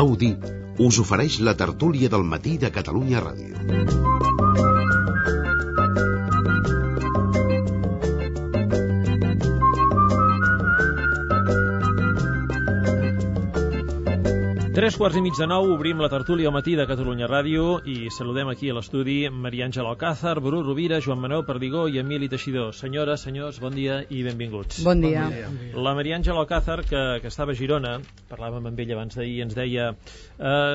Audi us ofereix la tertúlia del matí de Catalunya Ràdio. 8:45, obrim la tertúlia al matí de Catalunya Ràdio i saludem aquí a l'estudi Maria Àngela Alcázar, Bru Rovira, Joan Manuel Perdigó i Emili Teixidor. Senyores, senyors, bon dia i benvinguts. Bon dia. La Maria Àngela Alcázar, que estava a Girona, parlàvem amb ella abans d'ahir, ens deia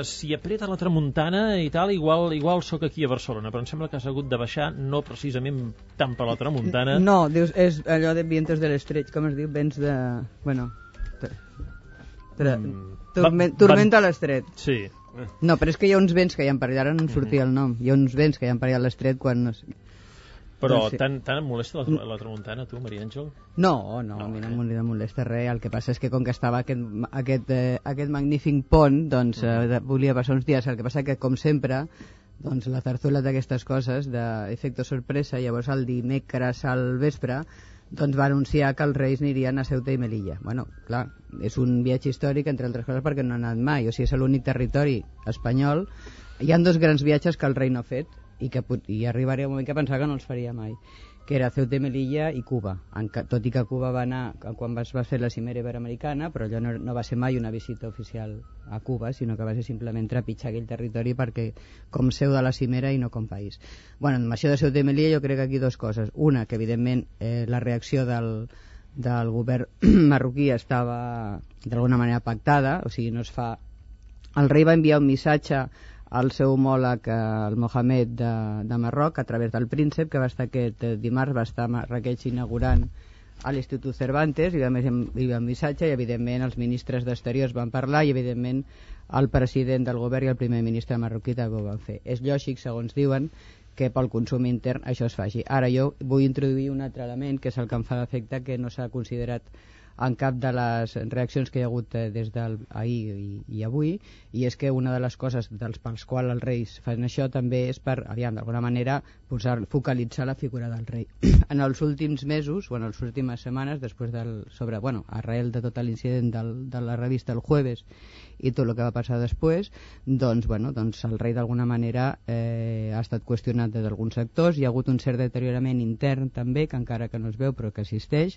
si apreta la tramuntana i tal, igual sóc aquí a Barcelona, però em sembla que has hagut de baixar, no precisament tant per la tramuntana. No, dius, és allò de vientos de l'estret, com es diu, vents de... Bueno... Tormenta a l'estret. Sí. No, però és que hi ha uns vents que hi ha per allà, ara no em sortia el nom. Hi ha uns vents que hi ha per allà a l'estret quan... Però doncs sí. Tant et molesta la tramuntana, tu, Maria Àngel? No, a mi no em molesta res. El que passa és que com que estava aquest magnífic pont, doncs volia passar uns dies. El que passa que, com sempre, doncs la tertúlia d'aquestes coses, d'efecte sorpresa, llavors el dimecres al vespre, doncs va anunciar que els Reis anirien a Ceuta i Melilla. Bueno, clar, és un viatge històric, entre altres coses, perquè no han anat mai. O sigui, és l'únic territori espanyol. Hi ha dos grans viatges que el rei no ha fet i arribaria un moment que pensava que no els faria mai, que era Ceuta i Melilla i Cuba. Tot i que Cuba va anar quan es va fer la cimera iberoamericana, però allò no va ser mai una visita oficial a Cuba, sinó que va ser simplement trepitjar aquell territori perquè com seu de la cimera i no com país. Bueno, amb això de Ceuta i Melilla jo crec que aquí dues coses. Una, que evidentment la reacció del govern marroquí estava d'alguna manera pactada, o sigui, no es fa... El rei va enviar un missatge al seu homòleg, el Mohamed de Marroc, a través del príncep, que va estar aquest dimarts, va estar a Marrakech inaugurant a l'Institut Cervantes, i a més hi havia un missatge, i evidentment els ministres d'Exteriors van parlar, i evidentment el president del govern i el primer ministre marroquí també ho van fer. És lògic, segons diuen, que pel consum intern això es faci. Ara jo vull introduir un altre element, que és el que em fa d'efecte que no s'ha considerat en cap de les reaccions que hi ha hagut des d'ahir i avui, i és que una de les coses pels quals els reis fan això també és per, d'alguna manera, focalitzar la figura del rei. En els últims mesos, o en les últimes setmanes, després arrel de tot l'incident de la revista El Jueves i tot el que va passar després, doncs el rei d'alguna manera ha estat qüestionat des d'alguns sectors, hi ha hagut un cert deteriorament intern també, que encara que no es veu però que existeix,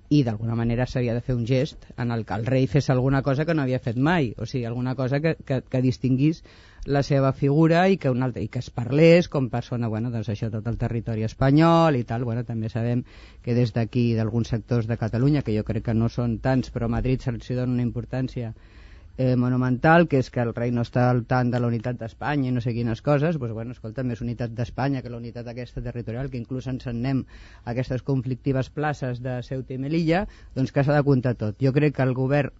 i d'alguna manera s'havia de fer un gest en el que el rei fes alguna cosa que no havia fet mai, o sigui, alguna cosa que distinguís la seva figura i que es parlés com persona, doncs això, tot el territori espanyol i tal. També sabem que des d'aquí, d'alguns sectors de Catalunya, que jo crec que no són tants, però a Madrid se'ls dona una importància monumental, que és que el rei no està al tant de la unitat d'Espanya i no sé quines coses. Escolta, més unitat d'Espanya que la unitat aquesta territorial, que inclús ens en anem a aquestes conflictives places de Ceuta i Melilla, doncs que s'ha de comptar tot. Jo crec que el govern,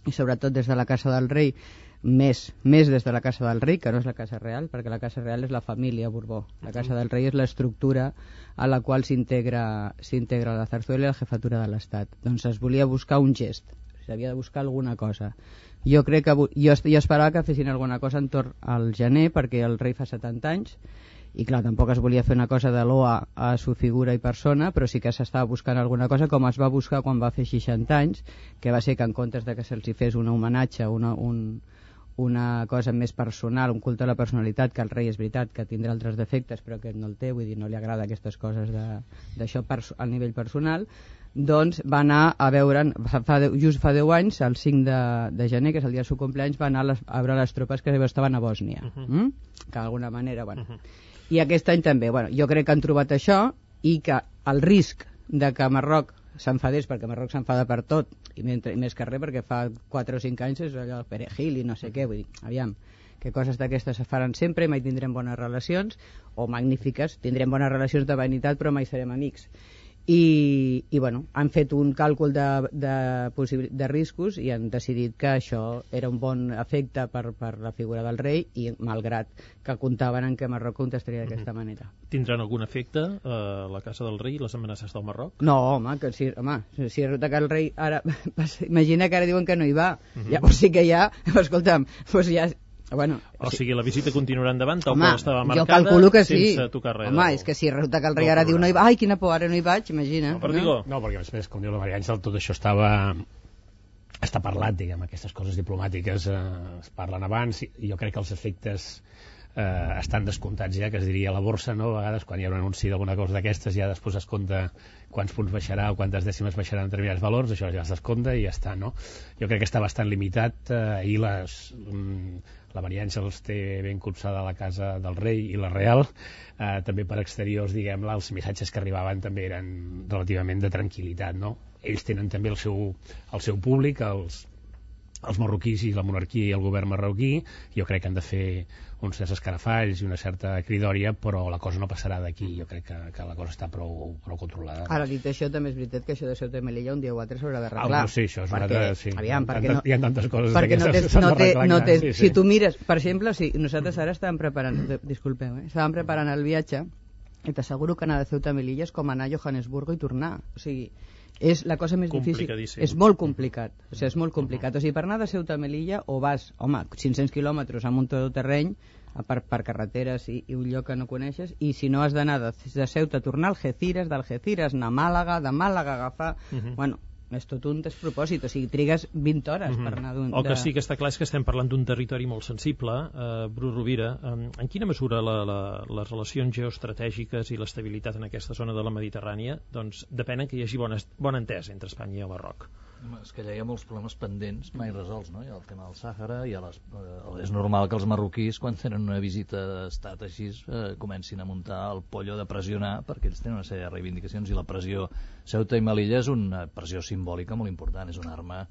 i sobretot des de la Casa del Rei, més des de la Casa del Rei, que no és la Casa Real, perquè la Casa Real és la família Borbó. La Casa del Rei és l'estructura a la qual s'integra la zarzuela i la jefatura de l'Estat. Doncs es volia buscar un gest, s'havia de buscar alguna cosa. Jo crec que jo esperava que fessin alguna cosa entorn al gener, perquè el rei fa 70 anys, i clar, tampoc es volia fer una cosa de loa a su figura i persona, però sí que s'estava buscant alguna cosa, com es va buscar quan va fer 60 anys, que va ser que en comptes de que se'ls fes un homenatge, una cosa més personal, un culte a la personalitat, que el rei és veritat que tindrà altres defectes, però que no el té, vull dir, no li agrada aquestes coses d'això a nivell personal, doncs va anar a veure, just fa 10 anys, el 5 de gener, que és el dia del seu compleanys, va anar a veure les tropes que estaven a Bòsnia, que d'alguna manera, i aquest any també, jo crec que han trobat això, i que el risc de que Marroc s'enfadés, perquè Marroc s'enfada per tot, i més que res perquè fa 4 o 5 anys és allò del perejil i no sé què, vull dir, aviam, que coses d'aquestes es faran sempre i mai tindrem bones relacions, o magnífiques, tindrem bones relacions de vanitat però mai serem amics. I han fet un càlcul de riscos i han decidit que això era un bon efecte per la figura del rei, i malgrat que comptaven en que Marroc contestaria d'aquesta manera. Tindran algun efecte la Casa del Rei i les amenaces del Marroc? No, home, si resulta que el rei ara... Imagina que ara diuen que no hi va, llavors sí que ja... Escolta'm, doncs ja... O sigui, la visita continuarà endavant tal com estava marcada, jo calculo que sí. Sense tocar res. Home, és que si resulta que el rei ara diu no hi va, ai, quina por, ara no hi vaig, imagina. No, perquè a més, com diu la Maria Àngel, tot això estava està parlat, diguem, aquestes coses diplomàtiques es parlen abans, i jo crec que els efectes estan descomptats ja, que es diria a la borsa, no? A vegades quan hi ha un anunci d'alguna cosa d'aquestes ja després es compta quants punts baixarà o quantes dècimes baixaran determinats valors, això ja es descompta i ja està, no? Jo crec que està bastant limitat. Ahir la Maria Àngels té ben copsada la casa del rei i la Real, també per exteriors, diguem-ne, els missatges que arribaven també eren relativament de tranquil·litat, no? Ells tenen també el seu públic, els marroquís i la monarquia i el govern marroquí. Jo crec que han de fer uns certs escarafalls i una certa cridòria, però la cosa no passarà d'aquí. Jo crec que la cosa està prou controlada. Ara, dit això, també és veritat que això de Ceuta i Melilla un dia o altre s'haurà d'arreglar. Sí, això és una altra... Sí. Aviam, perquè hi ha tantes coses d'aquestes que s'han d'arreglar. Si tu mires, per exemple, nosaltres ara estàvem preparant, estàvem preparant el viatge, i t'asseguro que anar de Ceuta a Melilla és com anar a Johannesburgo i tornar. O sigui, és la cosa més difícil. És molt complicat. O sigui, és molt complicat. O sigui, per anar de Ceuta a Melilla o vas, 500 quilòmetres amb un todoterreny per carreteres i un lloc que no coneixes, i si no has d'anar de Ceuta a tornar a Algeciras, d'Algeciras anar a Màlaga, de Màlaga agafar... Bueno, és tot un despropòsit, o sigui, trigues 20 hores per anar d'un... El que sí que està clar és que estem parlant d'un territori molt sensible. Bru Rovira, en quina mesura les relacions geoestratègiques i l'estabilitat en aquesta zona de la Mediterrània doncs depenen que hi hagi bona entesa entre Espanya i el Marroc? És que ja hi ha molts problemes pendents mai resolts, no? Hi ha el tema del Sàhara, és normal que els marroquís, quan tenen una visita d'estat així, comencin a muntar el pollo de pressionar, perquè ells tenen una sèrie de reivindicacions, i la pressió Ceuta i Melilla és una pressió simbòlica molt important, és una arma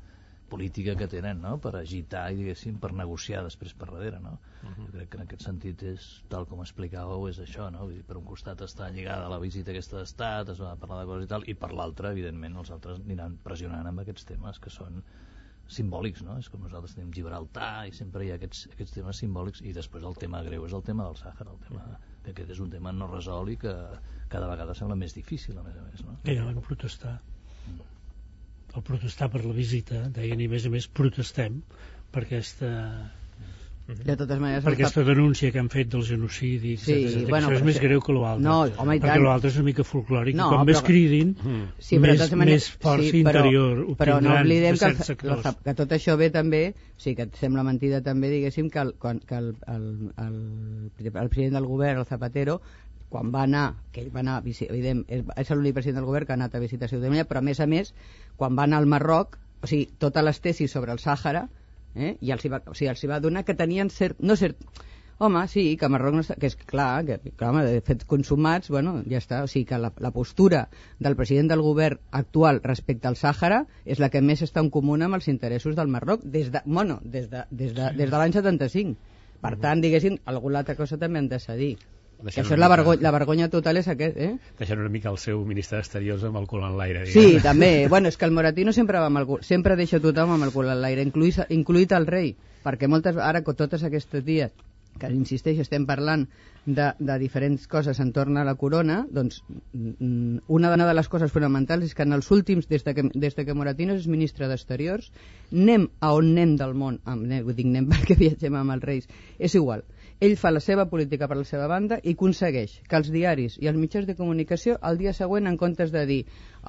política que tenen, no?, per agitar i, diguéssim, per negociar després per darrere, no? Jo crec que en aquest sentit és, tal com explicàveu, és això, no? Vull dir, per un costat està lligada a la visita aquesta d'estat, es va parlar de coses i tal, i per l'altre, evidentment, els altres aniran pressionant amb aquests temes que són simbòlics, no? És com nosaltres tenim Gibraltar i sempre hi ha aquests temes simbòlics, i després el tema greu és el tema del Sàhara, el tema que aquest és un tema no resolt i que cada vegada sembla més difícil, a més, no? Que ja van protestar. El protestar per la visita, deien, i a més protestem per aquesta... De totes maneres, per aquesta denúncia que han fet del genocidi, etc. Bueno, això és més greu que l'altre, no, home, perquè l'altre és una mica folclòric, no, i quan més cridin, més força interior però no oblidem que tot això ve també, o sigui, que et sembla mentida també, diguéssim, que el president del govern, el Zapatero, quan va anar, que ell va anar, evident, és l'únic president del govern que ha anat a visitar Ceuta i Melilla, però a més, quan va anar al Marroc, o sigui, totes les tesis sobre el Sàhara, i els hi va donar que tenien home, sí, que Marroc no està, que és clar, de fet consumats, bueno, ja està, o sigui que la postura del president del govern actual respecte al Sàhara és la que més està en comú amb els interessos del Marroc des de l'any 75. Per tant, diguéssim, alguna altra cosa també han de cedir. Que això és la vergonya total és aquest, Deixant una mica el seu ministre d'Exteriors amb el cul en l'aire, diguem. Sí, també. Bueno, és que el Moratino sempre deixa tothom amb el cul en l'aire, incluït el rei, perquè ara tots aquests dies, que insisteixo, estem parlant de diferents coses entorn a la corona, doncs una de les coses fonamentals és que en els últims, des de que Moratino és ministre d'Exteriors, anem a on anem del món, dic anem perquè viatgem amb els reis, és igual. Ell fa la seva política per la seva banda i aconsegueix que els diaris i els mitjans de comunicació el dia següent, en comptes de dir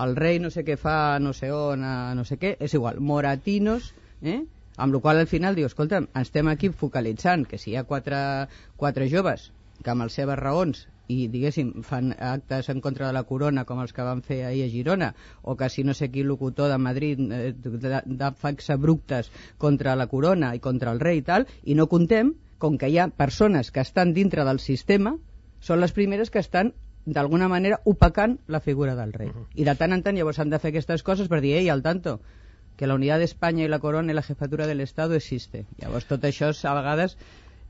el rei no sé què fa, no sé on, no sé què, és igual, Moratinos, amb la qual al final diu, escolta'm, estem aquí focalitzant que si hi ha quatre joves que amb les seves raons i, diguéssim, fan actes en contra de la corona com els que van fer ahir a Girona, o que si no sé quin locutor de Madrid fa exabruptes contra la corona i contra el rei i tal, i no contem com que hi ha persones que estan dintre del sistema, són les primeres que estan d'alguna manera opacant la figura del rei. I de tant en tant llavors han de fer aquestes coses per dir, al tanto, que la unitat d'Espanya i la corona i la jefatura de l'Estado existe. Llavors tot això a vegades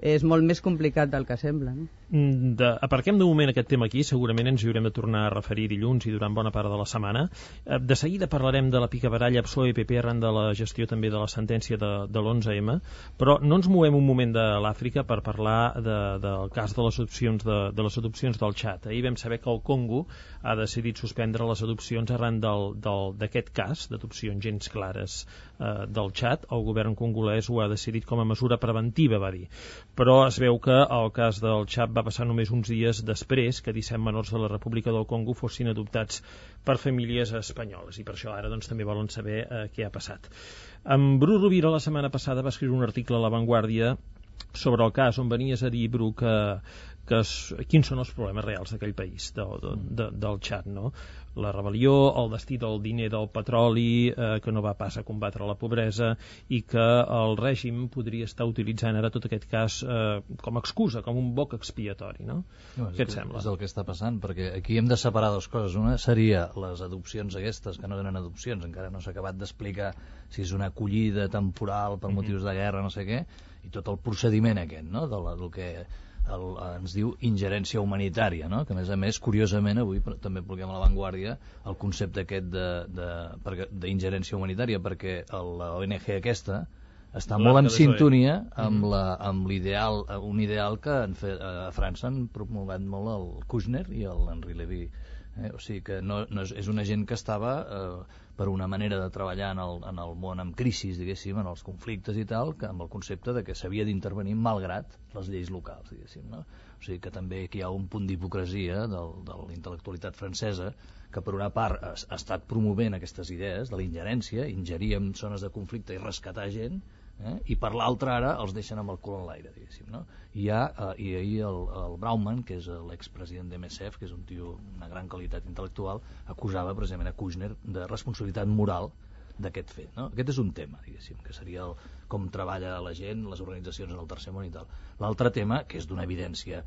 és molt més complicat del que sembla, no? Aparquem de moment aquest tema aquí, segurament ens hi haurem de tornar a referir dilluns i durant bona part de la setmana. De seguida parlarem de la picabaralla PSOE-PP arran de la gestió també de la sentència de l'11M, però no ens movem un moment de l'Àfrica per parlar del cas de les adopcions del Txad. Ahir vam saber que el Congo ha decidit suspendre les adopcions arran d'aquest cas d'adopcions gens clares del Txad. El govern congolès ho ha decidit com a mesura preventiva, va dir. però es veu que el cas del Txad va passar només uns dies després que 17 menors de la República del Congo fossin adoptats per famílies espanyoles, i per això ara doncs, també volen saber què ha passat. En Bru Rovira la setmana passada va escriure un article a La Vanguardia sobre el cas, on venies a dir, Bru, quins són els problemes reals d'aquell país, del Txad, no? La rebel·lió, el destí del diner del petroli, que no va pas a combatre la pobresa, i que el règim podria estar utilitzant ara tot aquest cas com a excusa, com un boc expiatori, no? Què et sembla? És el que està passant, perquè aquí hem de separar dues coses. Una seria les adopcions aquestes, que no eren adopcions, encara no s'ha acabat d'explicar si és una acollida temporal per motius de guerra, no sé què, i tot el procediment aquest, no?, del que ens diu ingerència humanitària, no? Que a més, curiosament, avui també publiquem a La Vanguardia el concepte aquest d'ingerència humanitària, perquè l'ONG aquesta està molt en sintonia amb l'ideal, un ideal que a França han promulgat molt el Kouchner i l'Henri Lévy. O sigui que és una gent que estava per una manera de treballar en el món amb crisis, diguéssim, en els conflictes i tal, amb el concepte de que s'havia d'intervenir malgrat les lleis locals, diguéssim, no? O sigui que també aquí hi ha un punt d'hipocresia de la intel·lectualitat francesa, que per una part ha estat promovent aquestes idees de la ingerència, ingerir en zones de conflicte i rescatar gent, i per l'altra ara els deixen amb el cul en l'aire, diguéssim, no? I ahir el Brauman, que és l'expresident de MSF, que és un tio d'una gran qualitat intel·lectual, acusava precisament a Kouchner de responsabilitat moral d'aquest fet, no? Aquest és un tema, diguéssim, que seria com treballa la gent, les organitzacions en el tercer món i tal. L'altre tema, que és d'una evidència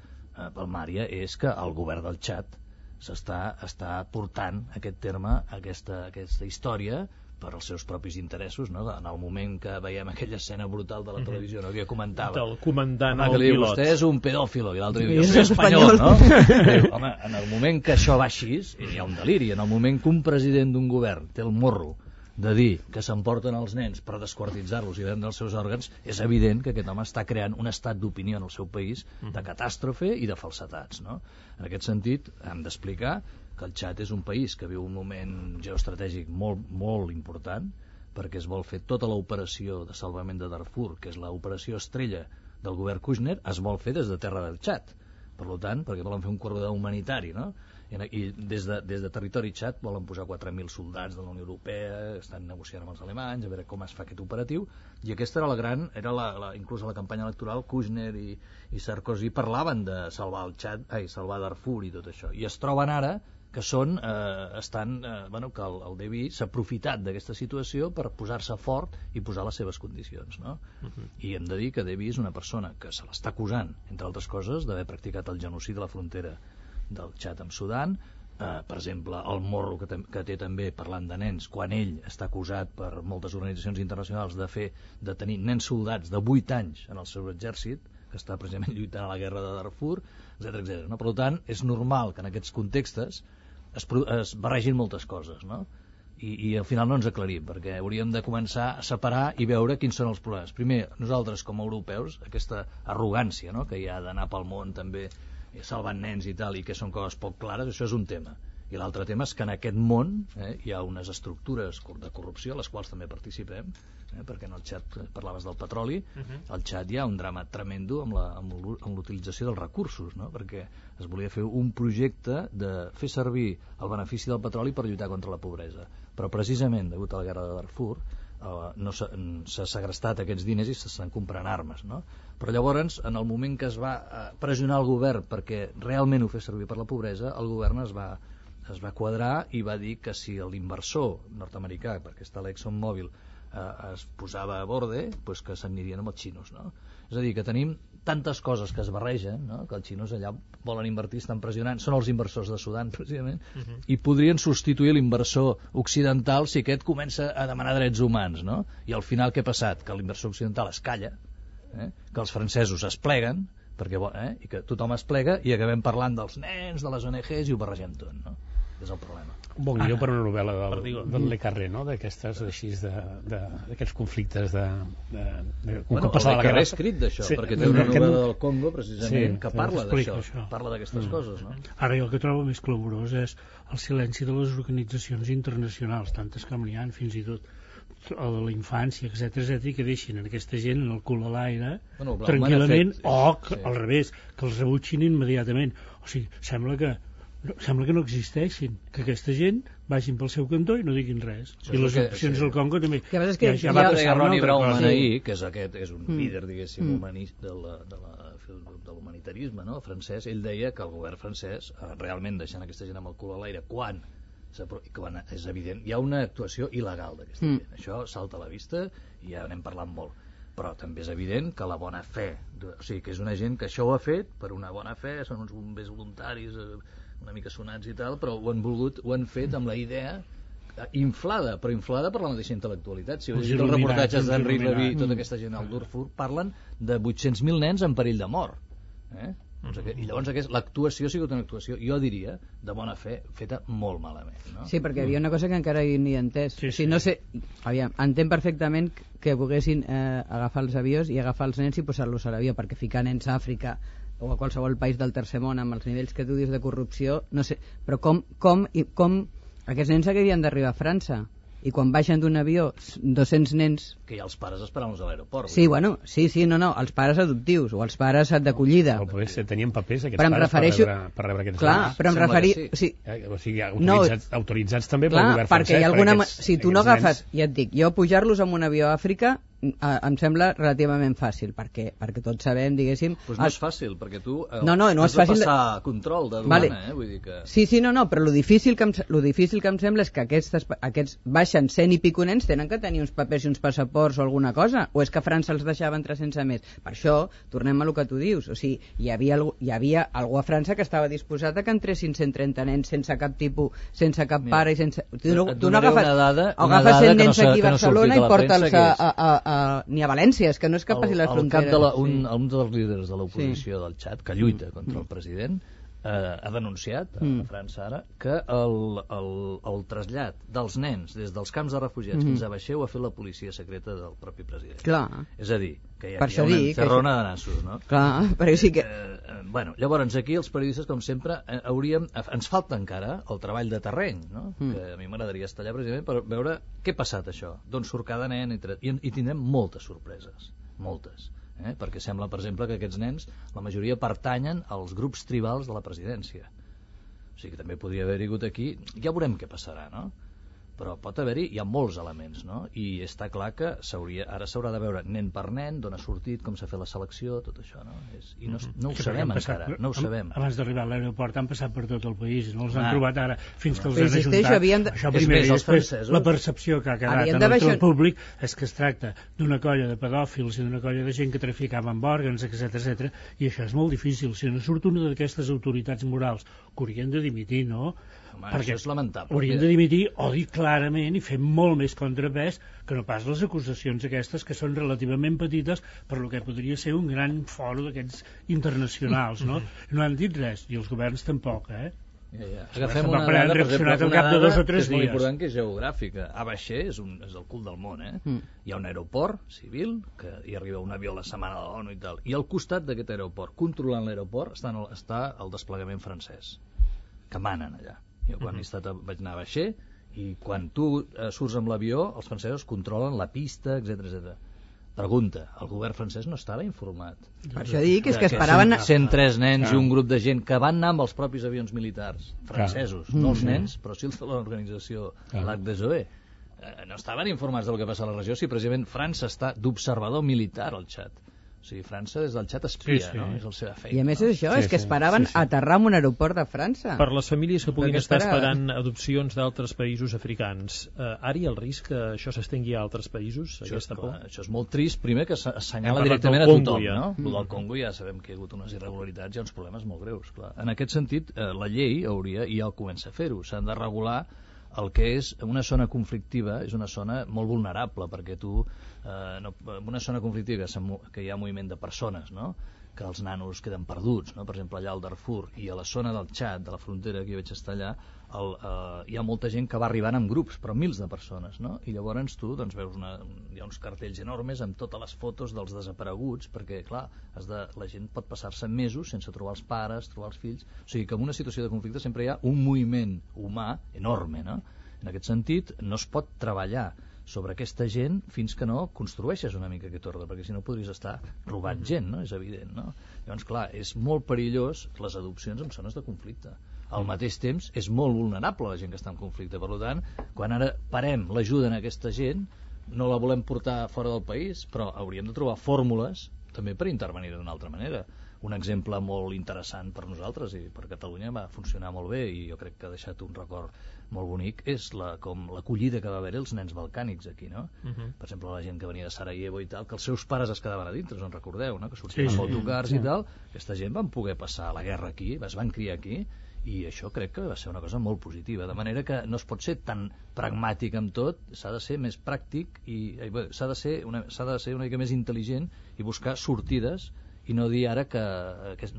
palmària, és que el govern del Txad està portant aquest terme, aquesta història, per als seus propis interessos, no? En el moment que veiem aquella escena brutal de la televisió, no?, que comentava del comandant al pilot, vostè és un pedòfilo, i l'altre diu, jo soy espanyol, no? Diu, home, en el moment que això va així, hi ha un deliri. En el moment que un president d'un govern té el morro de dir que s'emporten els nens per desquartitzar-los i vendre els seus òrgans, és evident que aquest home està creant un estat d'opinió en el seu país de catàstrofe i de falsetats, no? En aquest sentit, hem d'explicar que el Txad és un país que viu un moment geoestratègic molt, molt important, perquè es vol fer tota l'operació de salvament de Darfur, que és l'operació estrella del govern Kouchner, es vol fer des de terra del Txad. Per tant, perquè volen fer un corredor humanitari, no? I des de territori Txad volen posar 4.000 soldats de la Unió Europea, estan negociant amb els alemanys a veure com es fa aquest operatiu, i aquesta era la gran, inclús a la campanya electoral, Kouchner i Sarkozy parlaven de salvar el Txad, salvar Darfur i tot això, i es troben ara que que el Déby s'ha aprofitat d'aquesta situació per posar-se fort i posar les seves condicions, no? I hem de dir que Déby és una persona que se l'està acusant, entre altres coses, d'haver practicat el genocidi a la frontera del Txad amb Sudan, per exemple, el morro que té també parlant de nens, quan ell està acusat per moltes organitzacions internacionals de tenir nens soldats de 8 anys en el seu exèrcit, que està precisament lluitant a la guerra de Darfur, etc. No? Per tant, és normal que en aquests contextes es barregin moltes coses, no? I al final no ens aclarim, perquè hauríem de començar a separar i veure quins són els problemes. Primer, nosaltres com a europeus, aquesta arrogància, no?, que hi ha d'anar pel món també salvant nens i tal, i que són coses poc clares, això és un tema. I l'altre tema és que en aquest món hi ha unes estructures de corrupció a les quals també participem, perquè en el Txad parlaves del petroli, al Txad hi ha un drama tremendo amb l'utilització dels recursos, no? Perquè es volia fer un projecte de fer servir el benefici del petroli per lluitar contra la pobresa, però precisament degut a la guerra de Darfur s'ha segrestat aquests diners i s'estan comprant armes, no? Però llavors, en el moment que es va pressionar el govern perquè realment ho fes servir per la pobresa, el govern es va quadrar i va dir que si l'inversor nord-americà, perquè està l'ExxonMobil, es posava a borde, doncs que s'anirien amb els xinos, no? És a dir, que tenim tantes coses que es barregen, no?, que els xinos allà volen invertir, estan pressionant, són els inversors de Sudan precisament, i podrien substituir l'inversor occidental si aquest comença a demanar drets humans, no? I al final què ha passat? Que l'inversor occidental es calla, que els francesos es pleguen, i que tothom es plega i acabem parlant dels nens, de les ONGs i ho barregem tot, no? És el problema. Bon guió per una novel·la del Le Carré, no?, d'aquestes així, d'aquests conflictes Bueno, el Le Carré ha escrit d'això, perquè té una novel·la del Congo precisament que parla d'això, parla d'aquestes coses, no? Ara jo el que trobo més clamorós és el silenci de les organitzacions internacionals, tantes que n'hi ha fins i tot o de la infància, etc, i que deixin aquesta gent en el cul a l'aire Bueno, tranquil·lament, sí. al revés, que els rebutgin immediatament. O sigui, sembla que no existeixin, que aquesta gent vagin pel seu cantó i no diguin res. I les opcions del Congo també. Que passa és que ja va passar una Ronnie altra Brauman cosa. ahir, que és un líder, diguéssim, de l'humanitarisme, no? francès, ell deia que el govern francès, realment deixant aquesta gent amb el cul a l'aire, quan és evident, hi ha una actuació il·legal d'aquesta gent. Això salta a la vista i ja n'hem parlat molt. Però també és evident que la bona fe, o sigui, que és una gent que això ho ha fet per una bona fe, són uns bombers voluntaris una mica sonats i tal, però ho han fet amb la idea inflada per la mateixa intel·lectualitat. Si heu llegit els reportatges d'Henri Levy i tota aquesta gent al Darfur, parlen de 800.000 nens en perill de mort. I llavors l'actuació ha sigut una actuació, jo diria, de bona fe, feta molt malament, no? Sí, perquè hi havia una cosa que encara ni he entès. Sí, O sigui, no sé, entenc perfectament que volguessin agafar els avions i agafar els nens i posar-los a l'avió, perquè ficar nens a Àfrica o a qualsevol país del tercer món amb els nivells que tu dius de corrupció, no sé, però com aquests nens haurien d'arribar a França? I quan baixen d'un avió 200 nens... Que hi ha els pares esperant-los a l'aeroport. Sí, bueno, els pares adoptius o els pares d'acollida. O potser tenien papers aquests Però em pares refereixo... per rebre aquests Clar, nens. però em Sembla refereixo... que sí. O O sigui, autoritzats també pel clar, govern perquè francès. hi ha alguna... Aquests, Si tu no aquests agafes, nens... ja et dic, jo pujar-los amb un avió a Àfrica em sembla relativament fàcil, perquè tots sabem, diguéssim... Doncs no és fàcil, perquè tu no és has de fàcil passar control de duana, Vull dir que... Sí, no, però lo difícil que em sembla és que aquests baixen 100 i pico nens tenen que tenir uns papers i uns passaports o alguna cosa, o és que a França els deixaven 300 més. Per això, tornem a lo que tu dius, o sigui, hi havia algú a França que estava disposat a que entressin 130 nens sense cap tipus, sense cap pare i sense... Tu no agafes 100 nens aquí a Barcelona i porta'ls ni a València, és que no és que passi les fronteres. Un dels líders de l'oposició del Txad, que lluita contra el president, ha denunciat a França ara que el trasllat dels nens des dels camps de refugiats fins a Baixeu ha fet la policia secreta del propi president. Clar. És a dir, que hi ha una encerrona de nassos, no? Clar, perquè sí que... Llavors aquí els periodistes, com sempre, ens falta encara el treball de terreny, no? Que a mi m'agradaria estar allà precisament per veure què ha passat això, d'on surt cada nen, i tindrem moltes sorpreses, moltes. Perquè sembla, per exemple, que aquests nens, la majoria pertanyen als grups tribals de la presidència. O sigui que també podria haver hagut aquí, ja veurem què passarà, no? Però pot haver-hi, hi ha molts elements, no? I està clar que ara s'haurà de veure nen per nen, d'on ha sortit, com s'ha fet la selecció, tot això, no? I no ho sabem encara, no ho sabem. Abans d'arribar a l'aeroport han passat per tot el país, no els han trobat ara, fins que els han ajuntat. Això primer, i després la percepció que ha quedat en el públic és que es tracta d'una colla de pedòfils i d'una colla de gent que traficava amb òrgans, etc. I això és molt difícil. Si no surt una d'aquestes autoritats morals que haurien de dimitir, no? Perquè és lamentable. Haurien de dimitir o dir clarament i fer molt més contrapès que no pas les acusacions aquestes que són relativament petites per lo que podria ser un gran fòrum d'aquests internacionals, no? No han dit res, i els governs tampoc, Agafem una dada, per exemple, una dada que és molt important, que és geogràfica. A Baixer és el cul del món, Hi ha un aeroport civil, que hi arriba un avió a la setmana de l'ONU i tal, i al costat d'aquest aeroport, controlant l'aeroport, està el desplegament francès, que manen allà. Jo quan vaig anar a Baixer, i quan tu surts amb l'avió, els francesos controlen la pista, etc. Pregunta, el govern francès no estava informat? Per això dic, és que esperaven... 103 nens i un grup de gent que van anar amb els propis avions militars francesos, no els nens, però sí els de l'organització Lac des Zoé. No estaven informats del que passa a la regió, si precisament França està d'observador militar al Txad. O sigui, França des del Txad espia, no? És la seva feina. I a més és això, és que esperaven aterrar en un aeroport de França. Per les famílies que puguin estar esperant adopcions d'altres països africans, ara hi ha el risc que això s'estengui a altres països, aquesta por? Això és molt trist, primer que s'assenyala directament a tothom, no? El del Congo ja sabem que hi ha hagut unes irregularitats, hi ha uns problemes molt greus, clar. En aquest sentit, la llei hauria, i ja comença a fer-ho, s'han de regular el que és una zona conflictiva, és una zona molt vulnerable, perquè en una zona conflictiva que hi ha moviment de persones, no? Que els nanos queden perduts, no? Per exemple, allà al Darfur i a la zona del Txad, de la frontera, que vaig estar allà, hi ha molta gent que va arribant amb grups, però mils de persones, no? I llavors tu veus hi ha uns cartells enormes amb totes les fotos dels desapareguts, perquè, clar, la gent pot passar-se mesos sense trobar els pares, trobar els fills, o sigui que en una situació de conflicte sempre hi ha un moviment humà enorme, no? En aquest sentit, no es pot treballar sobre aquesta gent fins que no construeixes una mica aquest ordre, perquè si no podries estar robant gent, no? És evident, no? Llavors, clar, és molt perillós les adopcions en zones de conflicte. Al mateix temps, és molt vulnerable la gent que està en conflicte. Per tant, quan ara parem l'ajuda a aquesta gent, no la volem portar fora del país, però hauríem de trobar fórmules també per intervenir d'una altra manera. Un exemple molt interessant per nosaltres i per Catalunya va funcionar molt bé i jo crec que ha deixat un record molt bonic és com l'acollida que va haver els nens balcànics aquí, no? Per exemple, la gent que venia de Sarajevo i tal, que els seus pares es quedaven a dintre, us en recordeu, no? Que sortien amb autocars i tal. Aquesta gent van poder passar la guerra aquí, es van criar aquí, i això crec que va ser una cosa molt positiva, de manera que no es pot ser tan pragmàtic amb tot, s'ha de ser més pràctic i s'ha de ser una mica més intel·ligent i buscar sortides i no dir ara que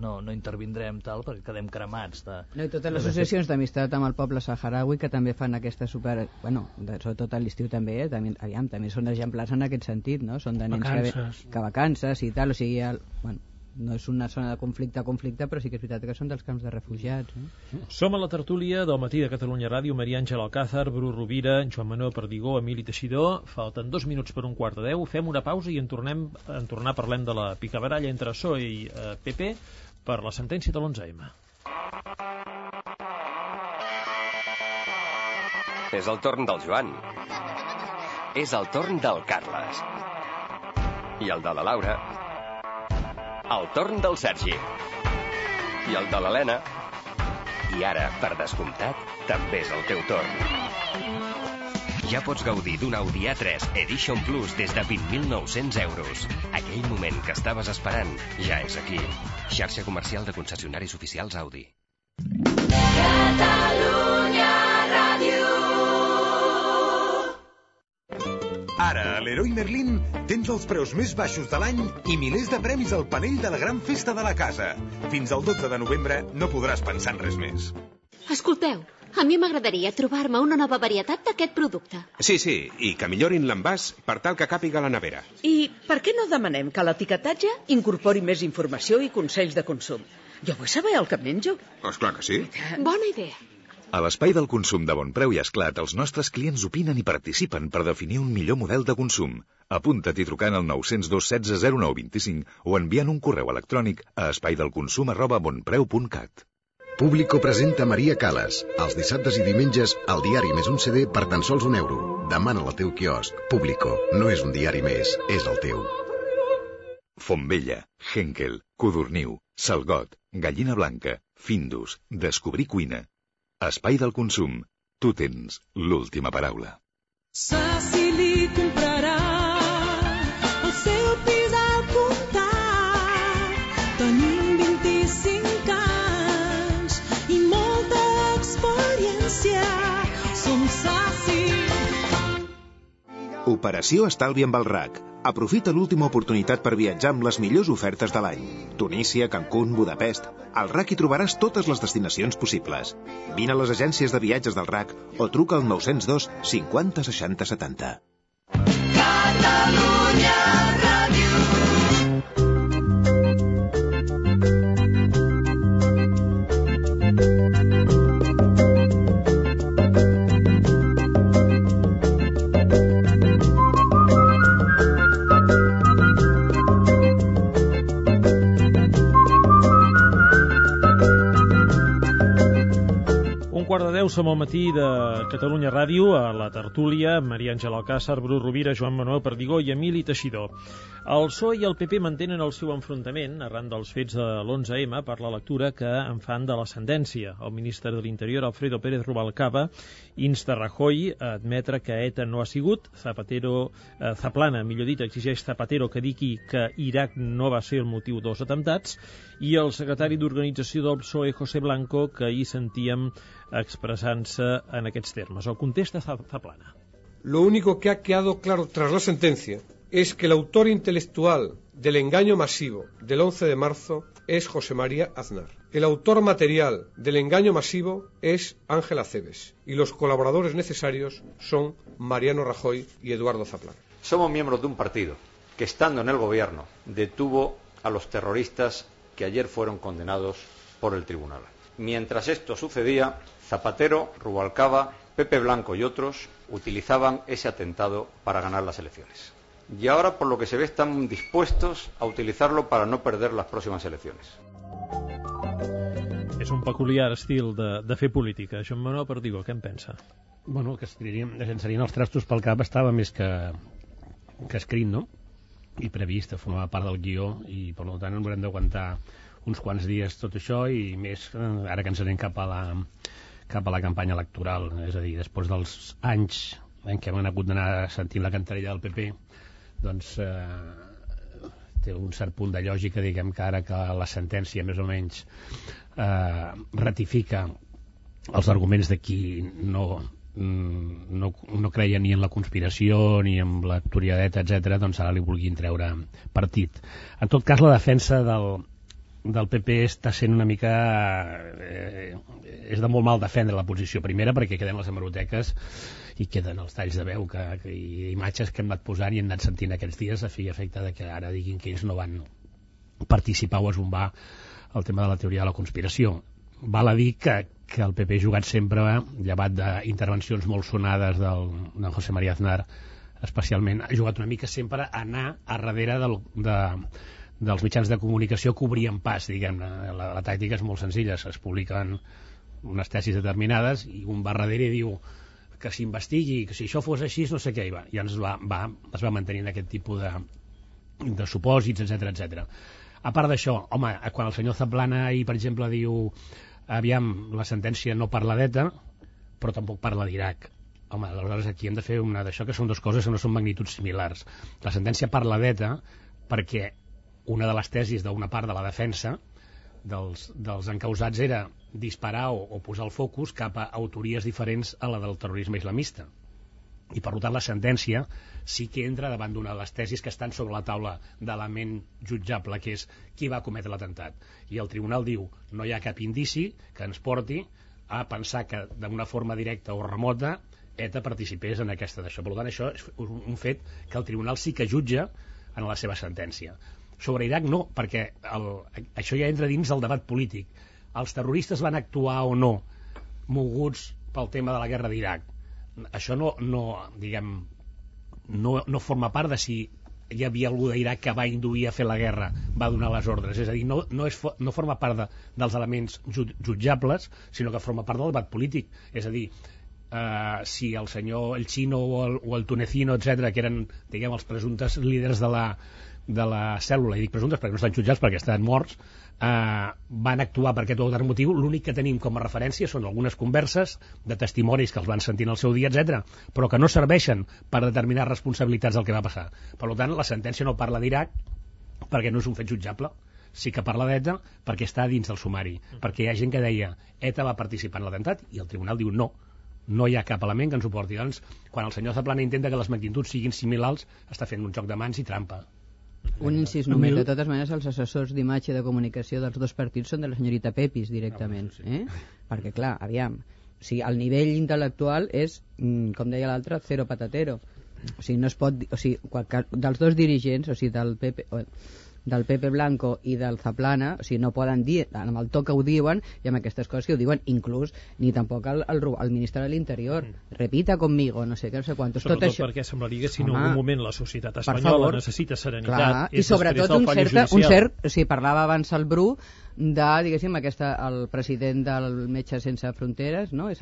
no intervindrem tal perquè quedem cremats. I totes les associacions d'amistat amb el poble saharaui que també fan aquesta sobretot a l'estiu també, també són exemplars en aquest sentit, no? Són de nens que vacances i tal, o sigui, no és una zona de conflicte, però sí que és veritat que són dels camps de refugiats. Som a la tertúlia del Matí de Catalunya Ràdio, Maria Àngela Alcázar, Bru Rovira, Joan Manuel Perdigó, Emili Teixidor. Falten 2 minuts per 9:45. Fem una pausa i en tornar parlem de la picabaralla entre PSOE i PP per la sentència de l'11M. És el torn del Joan. És el torn del Carles. I el de la Laura. El torn del Sergi. I el de l'Helena. I ara, per descomptat, també és el teu torn. Ja pots gaudir d'un Audi A3 Edition Plus des de 20.900 euros. Aquell moment que estaves esperant ja és aquí. Xarxa comercial de concessionaris oficials Audi. Catalunya Ràdio. Ara, a Leroy Merlin, tens els preus més baixos de l'any i milers de premis al panell de la gran festa de la casa. Fins al 12 de novembre no podràs pensar en res més. Escolteu, a mi m'agradaria trobar-me una nova varietat d'aquest producte. Sí, i que millorin l'envàs per tal que càpiga a la nevera. I per què no demanem que l'etiquetatge incorpori més informació i consells de consum? Jo vull saber el que menjo. Esclar que sí. Bona idea. A l'espai del consum de Bon Preu i Esclat, els nostres clients opinen i participen per definir un millor model de consum. Apunta't-hi trucant al 902 16 09 25 o enviant un correu electrònic a espaidelconsum@bonpreu.cat. Público presenta Maria Callas. Els dissabtes i diumenges, el diari més un CD per tan sols €1. Demana-la al teu quiosc. Público, no és un diari més, és el teu. Fontvella, Henkel, Codorniu, Salgot, Gallina Blanca, Findus, Descobrir Cuina. Espai del consum. Tu tens l'última paraula. Si li comprarà el seu pis al comptat. Tenim 25 anys i molta experiència. Som Saci. Operació Estalvi amb el RAC. Aprofita l'última oportunitat per viatjar amb les millors ofertes de l'any. Tunísia, Cancún, Budapest. Al RAC hi trobaràs totes les destinacions possibles. Vine a les agències de viatges del RAC o truca al 902 50 60 70. Catalunya Ràdio. Som al matí de Catalunya Ràdio, a la tertúlia, Maria Àngela Alcázar, Bru Rovira, Joan Manuel Perdigó i Emili Teixidor. El PSOE i el PP mantenen el seu enfrontament arran dels fets de l'11M per la lectura que en fan de la sentència. El ministre de l'Interior, Alfredo Pérez Rubalcaba, insta Rajoy a admetre que ETA no ha sigut. Zaplana, millor dit, exigeix Zapatero que digui que Iraq no va ser el motiu dels atemptats, i el secretari d'Organització del PSOE, José Blanco, que ahir sentíem expresant-se en aquests termes. El contesta Zaplana. Lo único que ha quedado claro tras la sentencia es que el autor intelectual del engaño masivo del 11 de marzo es José María Aznar. El autor material del engaño masivo es Ángel Acebes y los colaboradores necesarios son Mariano Rajoy y Eduardo Zaplana. Somos miembros de un partido que, estando en el gobierno, detuvo a los terroristas que ayer fueron condenados por el tribunal. Mientras esto sucedía, Zapatero, Rubalcaba Pepe Blanco y otros utilizaban ese atentado para ganar las elecciones. Y ahora, por lo que se ve, están dispuestos a utilizarlo para no perder las próximas elecciones. És un peculiar estil de fer política. Joan Manuel Perdigó, què en pensa? Bueno, que llançarien els trastos pel cap estava més que escrit, no? I previst, formava part del guió, i per tant haurem d'aguantar uns quants dies tot això, i més ara que ens anem cap a la campanya electoral, és a dir, després dels anys en què hem hagut d'anar sentint la cantarella del PP, doncs té un cert punt de lògica, diguem, que ara que la sentència més o menys ratifica els arguments de qui no creia ni en la conspiració ni en la toriadeta, etc., doncs ara li vulguin treure partit. En tot cas, la defensa del PP està sent una mica... és de molt mal defendre la posició. Primera, perquè queden les hemeroteques i queden els talls de veu i imatges que hem anat posant i hem anat sentint aquests dies a fi i efecte de que ara diguin que ells no van participar o esbombar el tema de la teoria de la conspiració. Val a dir que el PP ha jugat sempre, llevat d'intervencions molt sonades del José María Aznar, especialment, ha jugat una mica sempre a anar a darrere dels mitjans de comunicació que obrien pas, diguem-ne. La tàctica és molt senzilla, es publiquen unes tesis determinades i un va darrere i diu que s'investigui, que si això fos així no sé què hi va, i es va mantenint aquest tipus de supòsits, etc. A part d'això, home, quan el senyor Zaplana ahir, per exemple, diu aviam, la sentència no parla d'ETA, però tampoc parla d'Iraq. Home, aleshores aquí hem de fer una d'això, que són dues coses que no són magnituds similars. La sentència parla d'ETA perquè una de les tesis d'una part de la defensa dels encausats era disparar o posar el focus cap a autories diferents a la del terrorisme islamista. I per tant la sentència sí que entra davant d'una de les tesis que estan sobre la taula d'element jutjable, que és qui va cometre l'atemptat. I el tribunal diu no hi ha cap indici que ens porti a pensar que d'una forma directa o remota ETA participés en aquesta d'això. Per tant, això és un fet que el tribunal sí que jutja en la seva sentència. Sobre Iraq no, perquè això ja entra dins del debat polític. Els terroristes van actuar o no moguts pel tema de la guerra d'Iraq. Això no forma part de si hi havia algú d'Iraq que va induir a fer la guerra, va donar les ordres. És a dir, no forma part dels elements jutjables, sinó que forma part del debat polític. És a dir, si el senyor El Chino o el Tunecino, etc., que eren, diguem, els presumptes líders de la cèl·lula, i dic presumptes perquè no estan jutjats perquè estan morts, van actuar per aquest o altre motiu, l'únic que tenim com a referència són algunes converses de testimonis que els van sentir en el seu dia, etc., però que no serveixen per determinar responsabilitats del que va passar. Per tant, la sentència no parla d'Iraq perquè no és un fet jutjable, sí que parla d'ETA perquè està dins del sumari, perquè hi ha gent que deia ETA va participar en l'atemptat i el tribunal diu no hi ha cap element que ens ho porti. Doncs, quan el senyor Zaplana intenta que les magnituds siguin similars, està fent un joc de mans i trampa. Un incís només, de totes maneres els assessors d'imatge i de comunicació dels dos partits són de la senyorita Pepis directament, perquè clar, aviam, o sigui, el nivell intel·lectual és, com deia l'altre, zero patatero, o sigui, no es pot, o sigui, dels dos dirigents, o sigui, del Pepe Blanco i del Zaplana, o sigui, no poden dir amb el to que ho diuen i amb aquestes coses que ho diuen, inclús ni tampoc el ministre de l'Interior repita conmigo, no sé què, no sé quantos. Sobretot això... perquè semblaria que si en algun moment la societat espanyola necessita serenitat, clar, i sobretot un cert, o sigui, parlava abans el Bru de, diguéssim, el president del Metges Sense Fronteres, no? És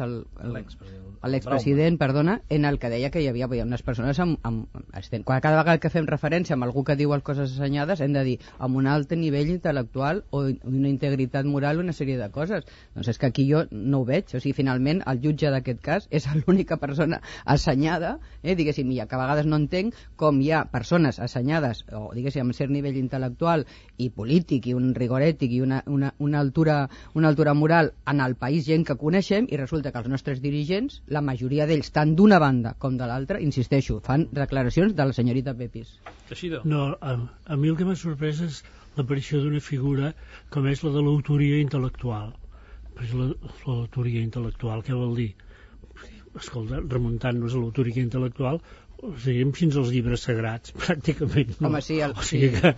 l'expresident, perdona, en el que deia que hi havia unes persones cada vegada que fem referència amb algú que diu les coses assenyades hem de dir amb un alt nivell intel·lectual o una integritat moral, una sèrie de coses. Doncs és que aquí jo no ho veig, o sigui, finalment el jutge d'aquest cas és l'única persona assenyada, diguéssim, i que a vegades no entenc com hi ha persones assenyades o, diguéssim, amb cert nivell intel·lectual i polític i un rigor ètic i una altura moral en el país, gent que coneixem, i resulta que els nostres dirigents, la majoria d'ells, tant d'una banda com de l'altra, insisteixo, fan declaracions de la senyorita Pepis. No, a mi el que m'ha sorprès és l'aparició d'una figura com és la de l'autoria intel·lectual. L'autoria intel·lectual, què vol dir? Escolta, remuntant-nos a l'autoria intel·lectual, o sigui, fins als llibres sagrats, pràcticament. No? Home, sí, o sigui que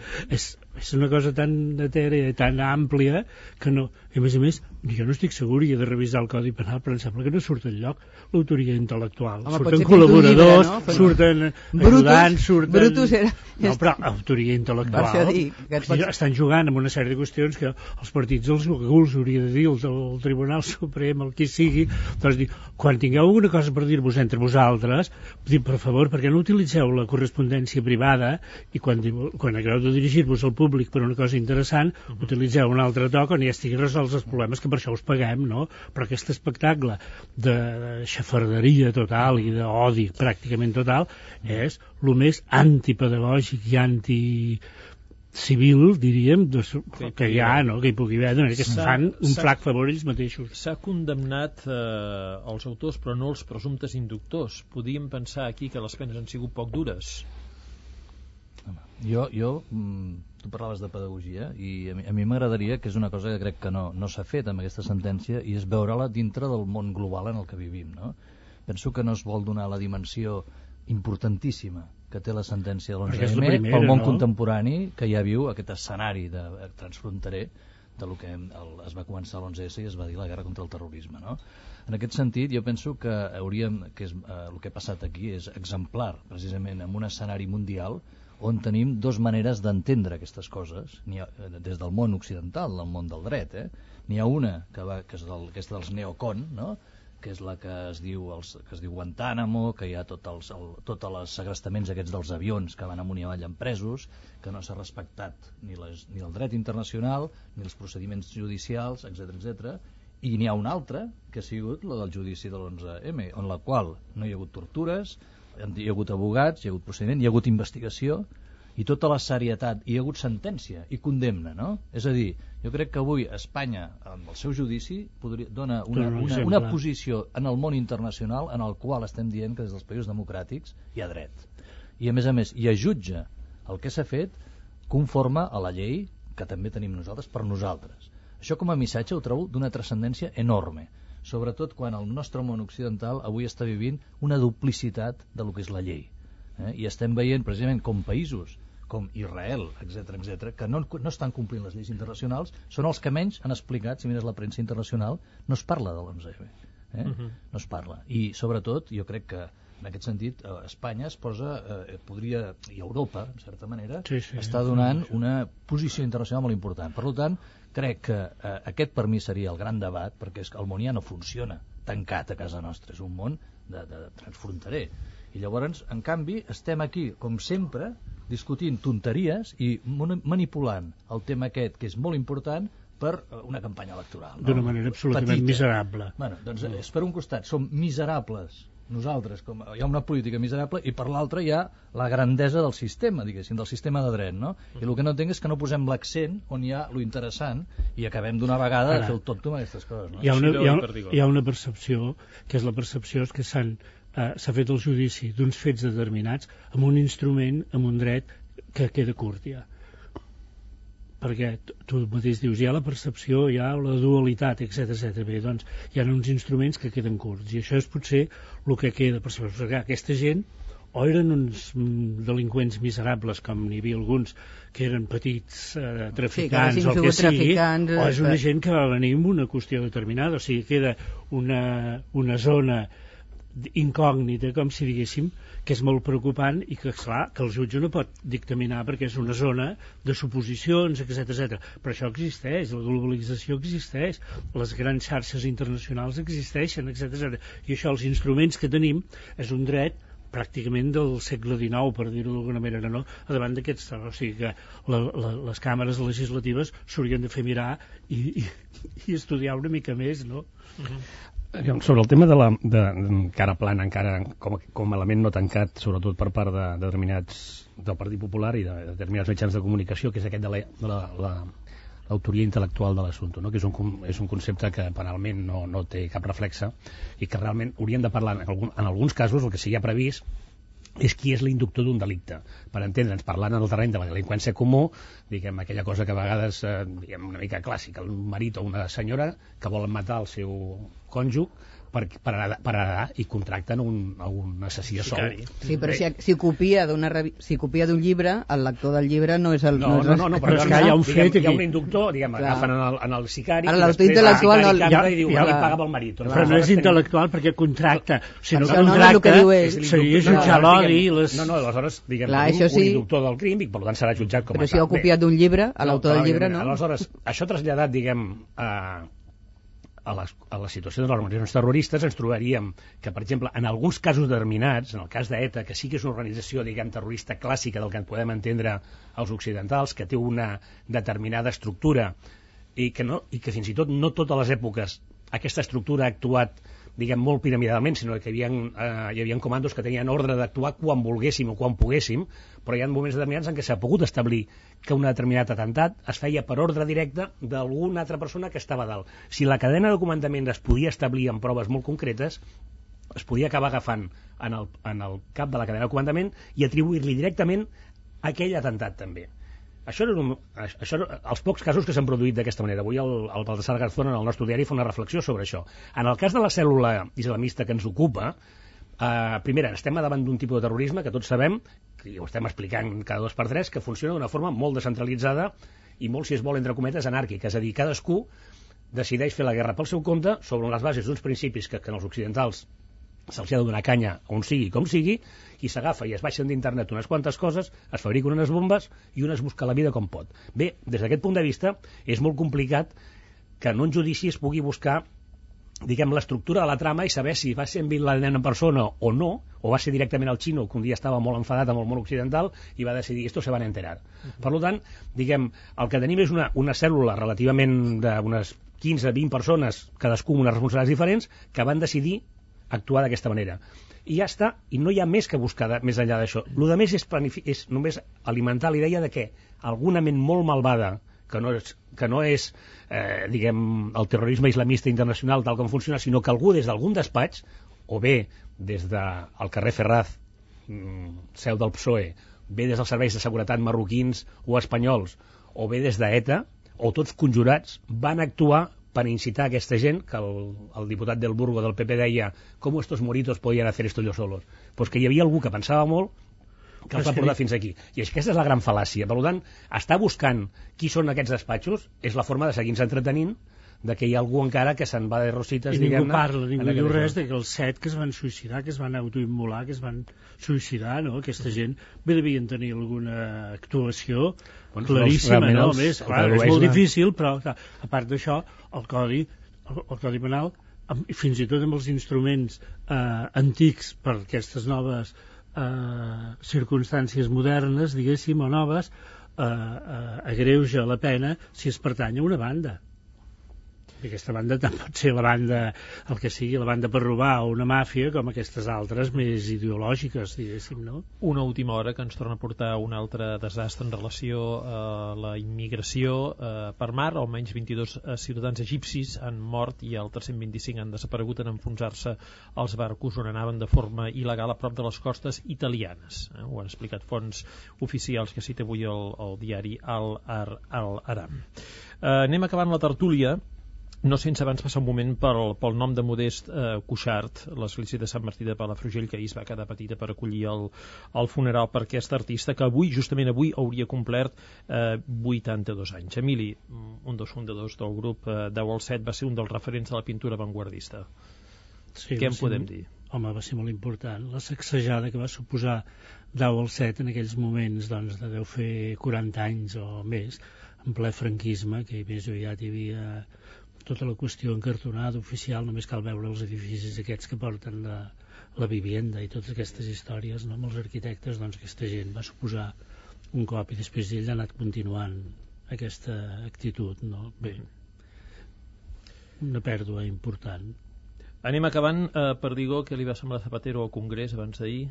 és una cosa tan etèrea, tan àmplia, que no... I a més, jo no estic segur, i he de revisar el Codi Penal, però em sembla que no surt enlloc l'autoria intel·lectual. Surten col·laboradors, surten ajudants, surten... Brutus era... No, però autoria intel·lectual... Estan jugant amb una sèrie de qüestions que els partits els hauria de dir, el Tribunal Suprem, el qui sigui, doncs quan tingueu alguna cosa per dir-vos entre vosaltres, per favor, perquè no utilitzeu la correspondència privada i quan acabeu de dirigir-vos al públic per una cosa interessant, utilitzeu un altre toc on ja estiguin resolts els problemes, que per això us paguem, no? Però aquest espectacle de xafarderia total i d'odi pràcticament total és el més antipedagògic i anticivil, diríem, que hi ha, no? Que hi pugui haver, que fan un flac favor ells mateixos. S'ha condemnat els autors, però no els presumptes inductors. Podíem pensar aquí que les penes han sigut poc dures. Tu parlaves de pedagogia i a mi m'agradaria, que és una cosa que crec que no s'ha fet amb aquesta sentència, i és veure-la dintre del món global en el que vivim, no? Penso que no es vol donar la dimensió importantíssima que té la sentència de l'11M pel món contemporani, que ja viu aquest escenari transfronterer del que es va començar l'11S i es va dir la guerra contra el terrorisme, no? En aquest sentit, jo penso que el que ha passat aquí és exemplar, precisament en un escenari mundial on tenim dues maneres d'entendre aquestes coses, des del món occidental, del món del dret. N'hi ha una que és aquesta dels neocon, no? Que és la que es diu Guantánamo, que hi ha tots els segrestaments aquests dels avions que van amunt i avall amb presos, que no s'ha respectat ni el dret internacional, ni els procediments judicials, etc. I n'hi ha una altra, que ha sigut la del judici de l'11M, en la qual no hi ha hagut tortures, hi ha hagut advocats, hi ha hagut procediment, hi ha hagut investigació, i tota la serietat, hi ha hagut sentència i condemna, no? És a dir, jo crec que avui Espanya, amb el seu judici, dona una posició en el món internacional en el qual estem dient que des dels països democràtics hi ha dret. I a més, hi ha jutge el que s'ha fet conforme a la llei que també tenim nosaltres per nosaltres. Això com a missatge ho trobo d'una transcendència enorme, sobretot quan el nostre món occidental avui està vivint una duplicitat de lo que és la llei. I estem veient precisament com països com Israel, etc., que no estan complint les lleis internacionals, són els que menys han explicat. Si mires la premsa internacional, no es parla de l'11M. No es parla. I sobretot, jo crec que en aquest sentit, Espanya es posa, i Europa, en certa manera, està donant una posició internacional molt important. Per tant, crec que aquest per mi seria el gran debat, perquè el món ja no funciona tancat a casa nostra, és un món de transfronterer. I llavors, en canvi, estem aquí, com sempre, discutint tonteries i manipulant el tema aquest, que és molt important, per una campanya electoral. D'una manera absolutament miserable. Doncs per un costat som miserables nosaltres, hi ha una política miserable, i per l'altra hi ha la grandesa del sistema, diguéssim, del sistema de dret, no? I el que no entenc és que no posem l'accent on hi ha lo interessant i acabem d'una vegada de fer el tonto amb aquestes coses, no? Hi ha una percepció, que és la percepció que s'ha fet el judici d'uns fets determinats amb un instrument, amb un dret que queda curt ja. Perquè tu mateix dius, hi ha la percepció, hi ha la dualitat, etc. Bé, doncs hi ha uns instruments que queden curts, i això és potser el que queda, perquè aquesta gent o eren uns delinqüents miserables, com n'hi havia alguns que eren petits traficants o el que sigui, o és una gent que va venir amb una qüestió determinada, o sigui, queda una zona incògnita, com si diguéssim, que és molt preocupant i que, clar, que el jutge no pot dictaminar perquè és una zona de suposicions, etc. Però això existeix, la globalització existeix, les grans xarxes internacionals existeixen, etc. I això, els instruments que tenim, és un dret pràcticament del segle XIX, per dir-ho d'alguna manera, no? A davant d'aquests, o sigui que les càmeres legislatives s'haurien de fer mirar i estudiar una mica més, no? Sobre el tema que ara plana encara com a element no tancat, sobretot per part de determinats del Partit Popular i de determinats mitjans de comunicació, que és aquest de l'autoria intel·lectual de l'assumpte, no? Que és un concepte que penalment no té cap reflexe i que realment hauríem de parlar en alguns casos. El que sí que hi ha previst és qui és l'inductor d'un delicte, per entendre'ns, parlant en el terreny de la delinqüència comú, diguem, aquella cosa que a vegades, diguem, una mica clàssica, un marit o una senyora que volen matar el seu cònjuge per anar i contracten una sessió sol. Sí, però si copia d'un llibre, el lector del llibre no és el... No, però hi ha un fet, hi ha un inductor, diguem, agafen en el sicari... Ara l'autor intel·lectual ja li pagava el marit. Però no és intel·lectual perquè contracta. Si no contracta, seria jutjar l'odi i les... No, aleshores, diguem, un inductor del crim i per tant serà jutjat com a tal. Però si heu copiat d'un llibre, a l'autor del llibre no. Aleshores, això traslladat, diguem, a la situació de les organitzacions terroristes, ens trobaríem que, per exemple, en alguns casos determinats, en el cas d'ETA, que sí que és una organització, diguem, terrorista clàssica del que en podem entendre els occidentals, que té una determinada estructura i que fins i tot no totes les èpoques aquesta estructura ha actuat, diguem, molt piramidalment, sinó que hi havia comandos que tenien ordre d'actuar quan volguéssim o quan poguéssim, però hi ha moments determinats en què s'ha pogut establir que un determinat atemptat es feia per ordre directe d'alguna altra persona que estava a dalt. Si la cadena de comandament es podia establir en proves molt concretes, es podia acabar agafant en el cap de la cadena de comandament i atribuir-li directament aquell atemptat també. Això els pocs casos que s'han produït d'aquesta manera. Avui el Baltasar Garzón en el nostre diari fa una reflexió sobre això. En el cas de la cèl·lula islamista que ens ocupa, primera, estem davant d'un tipus de terrorisme que tots sabem, que ho estem explicant cada 2 per 3, que funciona d'una forma molt descentralitzada i molt, si es vol, entre cometes, anàrquica. És a dir, cadascú decideix fer la guerra pel seu compte sobre les bases d'uns principis que els occidentals se'ls ha de donar canya on sigui com sigui, i s'agafa i es baixen d'internet unes quantes coses, es fabriquen unes bombes i un es busca la vida com pot. Bé, des d'aquest punt de vista és molt complicat que en un judici es pugui buscar, diguem, l'estructura de la trama i saber si va ser en Bin Laden en persona o no, o va ser directament el xino que un dia estava molt enfadat amb el món occidental i va decidir esto se van a enterar. Per tant, diguem, el que tenim és una cèl·lula relativament d'unes 15-20 persones, cadascú amb unes responsabilitats diferents, que van decidir actuar d'aquesta manera. I ja està, i no hi ha més que buscar més enllà d'això. El que més és només alimentar la idea de que alguna ment molt malvada, que no és diguem, el terrorisme islamista internacional tal com funciona, sinó que algú des d'algun despatx, o bé des del carrer Ferraz, seu del PSOE, bé des dels serveis de seguretat marroquins o espanyols, o bé des d'ETA, o tots conjurats, van actuar per incitar a aquesta gent, que el diputat del Burgo del PP deia com estos moritos podien hacer esto yo solos, pues que hi havia algú que pensava molt que els va portar fins aquí. I aquesta és la gran fal·làcia. Per tant, estar buscant qui són aquests despatxos és la forma de seguir-nos entretenint de que hi ha algú encara que se'n va de rosites, i ningú parla, ningú diu res de que els 7 que es van suïcidar, que es van autoimmolar, que es van suïcidar, no? Aquesta gent bé devien tenir alguna actuació claríssima, no? Més, clar, és molt difícil, però clar, a part d'això el codi penal, fins i tot amb els instruments antics per aquestes noves circumstàncies modernes, diguéssim, o noves, agreuja la pena si es pertany a una banda. I aquesta banda tant pot ser la banda, el que sigui, la banda per robar o una màfia, com aquestes altres més ideològiques, diguéssim, no? Una última hora que ens torna a portar un altre desastre en relació a la immigració per mar. Almenys 22 ciutadans egipcis han mort i altres 125 han desaparegut en enfonsar-se als barcos on anaven de forma il·legal a prop de les costes italianes. Ho han explicat fonts oficials que cita avui el diari Al-Aram. Anem acabant la tertúlia, no sense abans passar un moment pel nom de Modest Cuixart, l'església de Sant Martí de Palafrugell, que ahir es va quedar petita per acollir el funeral per aquest artista, que justament avui hauria complert 82 anys. Emili, un dels fundadors del grup 10 al 7, va ser un dels referents de la pintura avantguardista. Sí, què en podem dir? Home, va ser molt important. La sacsejada que va suposar 10 al 7 en aquells moments, doncs, de deu fer 40 anys o més, en ple franquisme, que més aviat hi havia tota la qüestió encartonada oficial, només cal veure els edificis aquests que porten la vivienda i totes aquestes històries, no? Amb els arquitectes, doncs aquesta gent va suposar un cop i després ell ha anat continuant aquesta actitud, no? Bé, una pèrdua important. Anem acabant. Perdigó, què li va semblar Zapatero al Congrés abans d'ahir?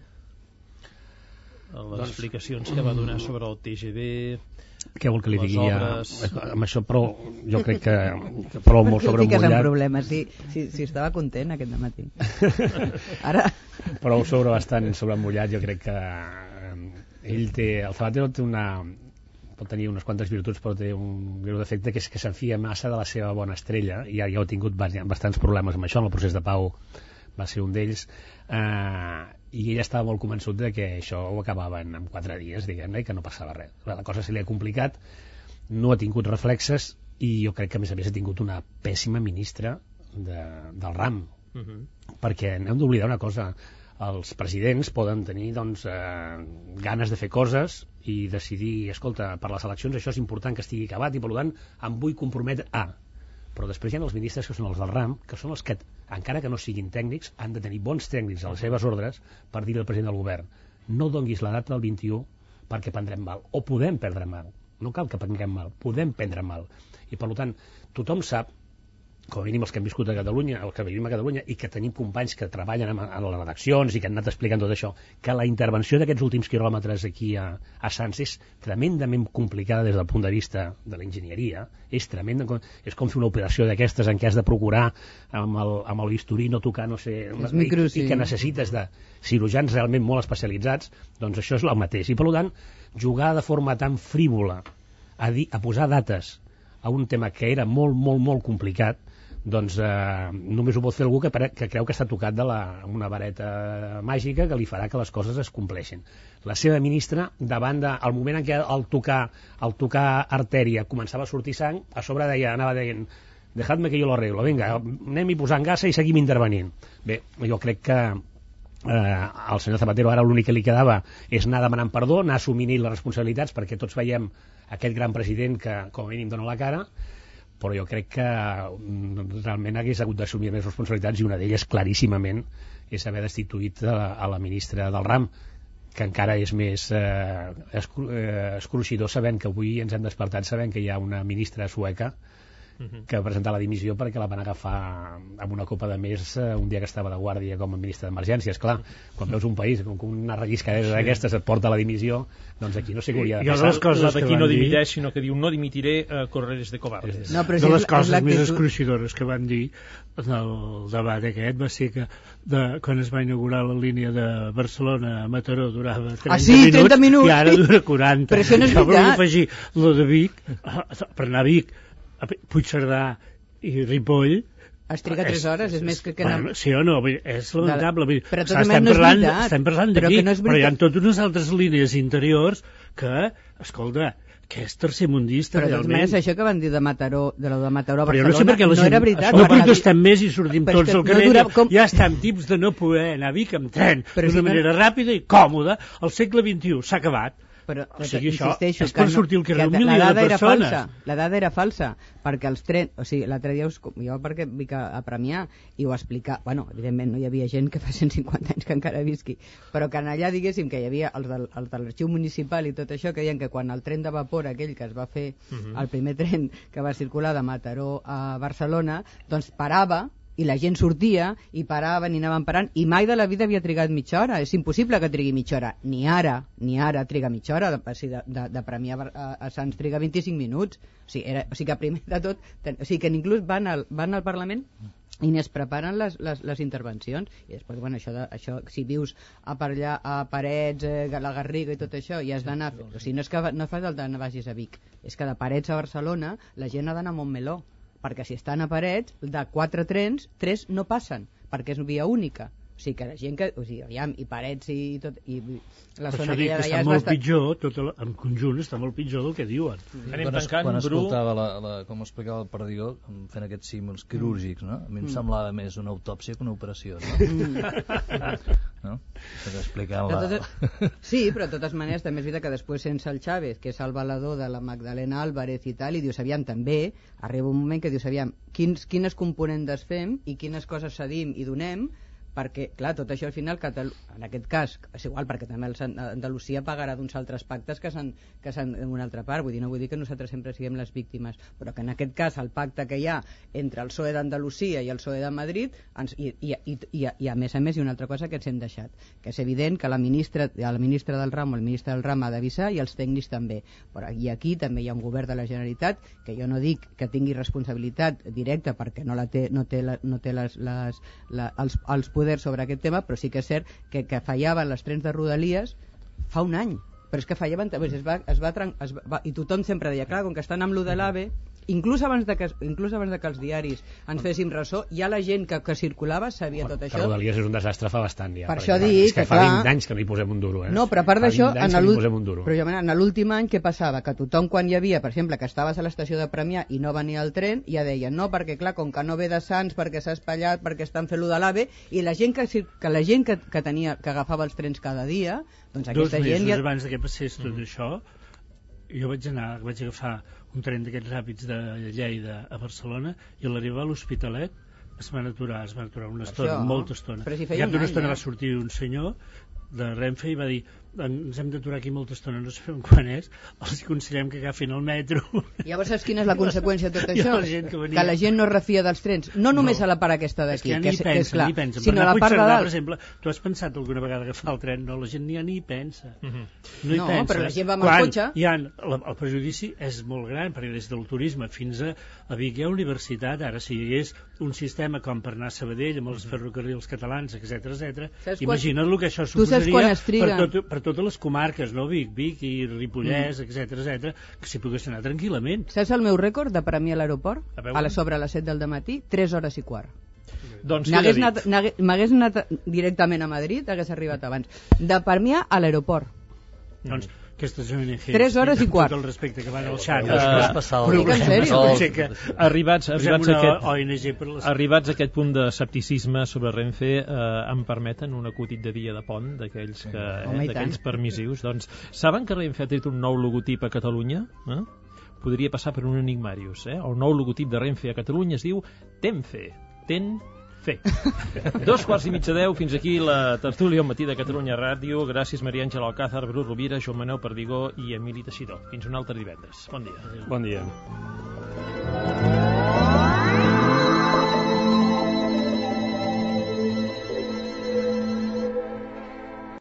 Les explicacions que va donar sobre el TGV, què vol que li digui amb això, però jo crec que prou molt sobre mullat. Problemes. Si estava content aquest dematí. Ara... Prou bastant sobre mullat. Jo crec que ell el Zapatero té pot tenir unes quantes virtuts, però té un greu defecte, que és que s'enfia massa de la seva bona estrella, i ja ha tingut bastants problemes amb això, en el procés de pau va ser un d'ells, i ella estava molt convençut de que això ho acabaven en 4 dies, diguem-ne, i que no passava res. La cosa se li ha complicat, no ha tingut reflexes, i jo crec que a més ha tingut una pèssima ministra del RAM, perquè no hem d'oblidar una cosa: els presidents poden tenir ganes de fer coses i decidir, escolta, per les eleccions això és important que estigui acabat i per tant em vull comprometre a... Però després hi ha els ministres que són els del RAM, que són els que, encara que no siguin tècnics, han de tenir bons tècnics a les seves ordres per dir al president del govern: no donguis la data del 21 perquè prendrem mal, o podem perdre mal. No cal que prenguem mal, podem prendre mal. I per tant, tothom sap, com a mínim els que hem viscut a Catalunya, els que vivim a Catalunya, i que tenim companys que treballen a les redaccions i que han anat explicant tot això, que la intervenció d'aquests últims quilòmetres aquí a Sants és tremendament complicada des del punt de vista de l'enginyeria, és tremenda, és com fer una operació d'aquestes en què has de procurar amb el bisturí no tocar, no sé, i que necessites de cirurgians realment molt especialitzats. Doncs això és el mateix, i per tant jugar de forma tan frívola a posar dates a un tema que era molt, molt, molt complicat, doncs només ho pot fer algú que creu que està tocat amb una vareta màgica que li farà que les coses es compleixin. La seva ministra, davant al moment en què al tocar artèria començava a sortir sang, a sobre anava deient: dejadme que yo lo arreglo, vinga, anem-hi posant gasa i seguim intervenint. Bé, jo crec que al senyor Zapatero ara l'únic que li quedava és anar demanant perdó, anar assumint les responsabilitats, perquè tots veiem aquest gran president que com a mínim dona la cara, però jo crec que realment hagués hagut d'assumir més responsabilitats, i una d'elles claríssimament és haver destituït a la ministra del RAM, que encara és més escruixidor sabent que avui ens hem despertat sabent que hi ha una ministra sueca que va presentar la dimissió perquè la van agafar amb una copa de més un dia que estava de guàrdia com a ministre d'Emergències. Clar, quan veus un país com una relliscadera d'aquestes et porta a la dimissió, doncs aquí no sé què hauria de passar. La d'aquí no dimiteix, sinó que diu: no dimitiré, correres de cobardes. No, de les coses més escruixidores que van dir en el debat aquest va ser que quan es va inaugurar la línia de Barcelona a Mataró durava 30 minuts i ara dura 40. Però això no és veritat. Volia afegir lo de Vic, per anar a Vic, a Puigcerdà i Ripoll es triga 3 hores, és més que bueno, sí o no, és lamentable. Però estem parlant de Vic, però hi ha totes unes altres línies interiors que, escolta, que és tercermundista, però realment. Però això que van dir de Mataró, de la de Mataró a Barcelona, no, sé per què no era veritat. No protestem més i sortim tots al carrer. Ja estem tips de no poder anar a Vic amb tren d'una manera ràpida i còmoda. Al segle XXI s'ha acabat. Però, o sigui, això és per sortir al carrer 1 milió de persones. La dada era falsa, perquè els trens... O sigui, l'altre dia jo perquè vinc a Premià i ho explicar... Bueno, evidentment no hi havia gent que fa 150 anys que encara visqui, però que allà diguéssim que hi havia els de l'arxiu municipal i tot això, que deien que quan el tren de vapor aquell que es va fer, el primer tren que va circular de Mataró a Barcelona, doncs parava, i la gent sortia i paraven i anaven parant, i mai de la vida havia trigat mitja hora. És impossible que trigui mitja hora, ni ara triga mitja hora, de Premià a Sants triga 25 minuts. O sigui que primer de tot, o sigui que inclús van al Parlament i ni es preparen les intervencions, i després, bueno, això si vius per allà a Parets, la Garriga i tot això, i has d'anar, o sigui, no és que no fas el d'anar vagis a Vic, és que de Parets a Barcelona la gent ha d'anar a Montmeló, perquè si estan a Parets, de 4 trens, 3 no passen, perquè és via única. O sigui, que la gent que... O sigui, aviam, i Parets i tot... I la zona que hi ha d'allà és molt pitjor, en conjunt està molt pitjor del que diuen. Quan escoltava com explicava el Perdigó, fent aquests símbols quirúrgics, no? A mi em semblava més una autòpsia que una operació, no? Sí, però de totes maneres també és veritat que després sense el Chávez, que és el valedor de la Magdalena Álvarez i tal, i dius, aviam, també arriba un moment que dius, aviam, quines components fem i quines coses cedim i donem, perquè, clar, tot això al final, en aquest cas, és igual, perquè també Andalusia pagarà d'uns altres pactes que s'han en una altra part, no vull dir que nosaltres sempre siguem les víctimes, però que en aquest cas el pacte que hi ha entre el PSOE d'Andalusia i el PSOE de Madrid, i a més hi ha una altra cosa que ens hem deixat, que és evident que la ministra del RAM o el ministre del RAM ha d'avisar, i els tècnics també, però aquí també hi ha un govern de la Generalitat, que jo no dic que tingui responsabilitat directa, perquè no té els poders sobre aquest tema, però sí que és cert que fallaven les trens de Rodalies fa un any, Però és que fallaven... I tothom sempre deia, clar, com que estan amb lo de l'AVE, inclús abans de que els diaris ens féssim ressò, ja la gent que circulava sabia tot això. Rodalies és un desastre fa bastant ja. Per això dic que fa 20 anys que no hi posem un duro. No, però a part d'això, en l'últim any què passava? Que tothom quan hi havia, per exemple, que estaves a l'estació de Premià i no venia el tren, ja deien, no, perquè clar, com que no ve de Sants, perquè s'ha espatllat, perquè estan fent lo de l'AVE, i la gent que agafava els trens cada dia, doncs aquesta gent... 2 mesos abans que passés tot això, jo vaig agafar un tren d'aquests ràpids de Lleida a Barcelona i a l'arribar a l'Hospitalet es van aturar una estona, molta estona. I cap d'una estona va sortir un senyor de Renfe i va dir, ens hem d'aturar aquí molta estona, no sabem quan és, els aconsellem que agafin el metro. Llavors saps quina és la conseqüència de tot això? Que la gent no refia dels trens, no només a la part aquesta d'aquí, que és clar, sinó a la part de dalt. Per exemple, tu has pensat alguna vegada agafar el tren? No, la gent ni pensa. No, però la gent va amb el cotxe. El prejudici és molt gran, perquè des del turisme fins a Vic hi ha universitat, ara si hi hagués un sistema com per anar a Sabadell amb els ferrocarrils catalans, etc. Imagina't el que això suposaria per totes les comarques, no? Vic i Ripollès, etc, que s'hi pogués anar tranquil·lament. Saps el meu rècord de Premià a l'aeroport? Sobre les 7 del matí, 3 hores i quart. Doncs m'hagués anat directament a Madrid, hagués arribat abans. De Premià a l'aeroport. Doncs aquestes ONGs 3 hores i quart. Tot el respecte que van al xat. Arribats a aquest punt de escepticisme sobre Renfe, em permeten un acutit de dia de pont d'aquells permissius. Doncs saben que Renfe ha tret un nou logotip a Catalunya? Podria passar per un enigmarius. El nou logotip de Renfe a Catalunya es diu Tenfe. Fer. 9:45, fins aquí la tertúlia al matí de Catalunya Ràdio. Gràcies Maria Àngela Alcázar, Bru Rovira, Joan Manel Perdigó i Emili Teixidor. Fins un altre divendres. Bon dia. Bon dia.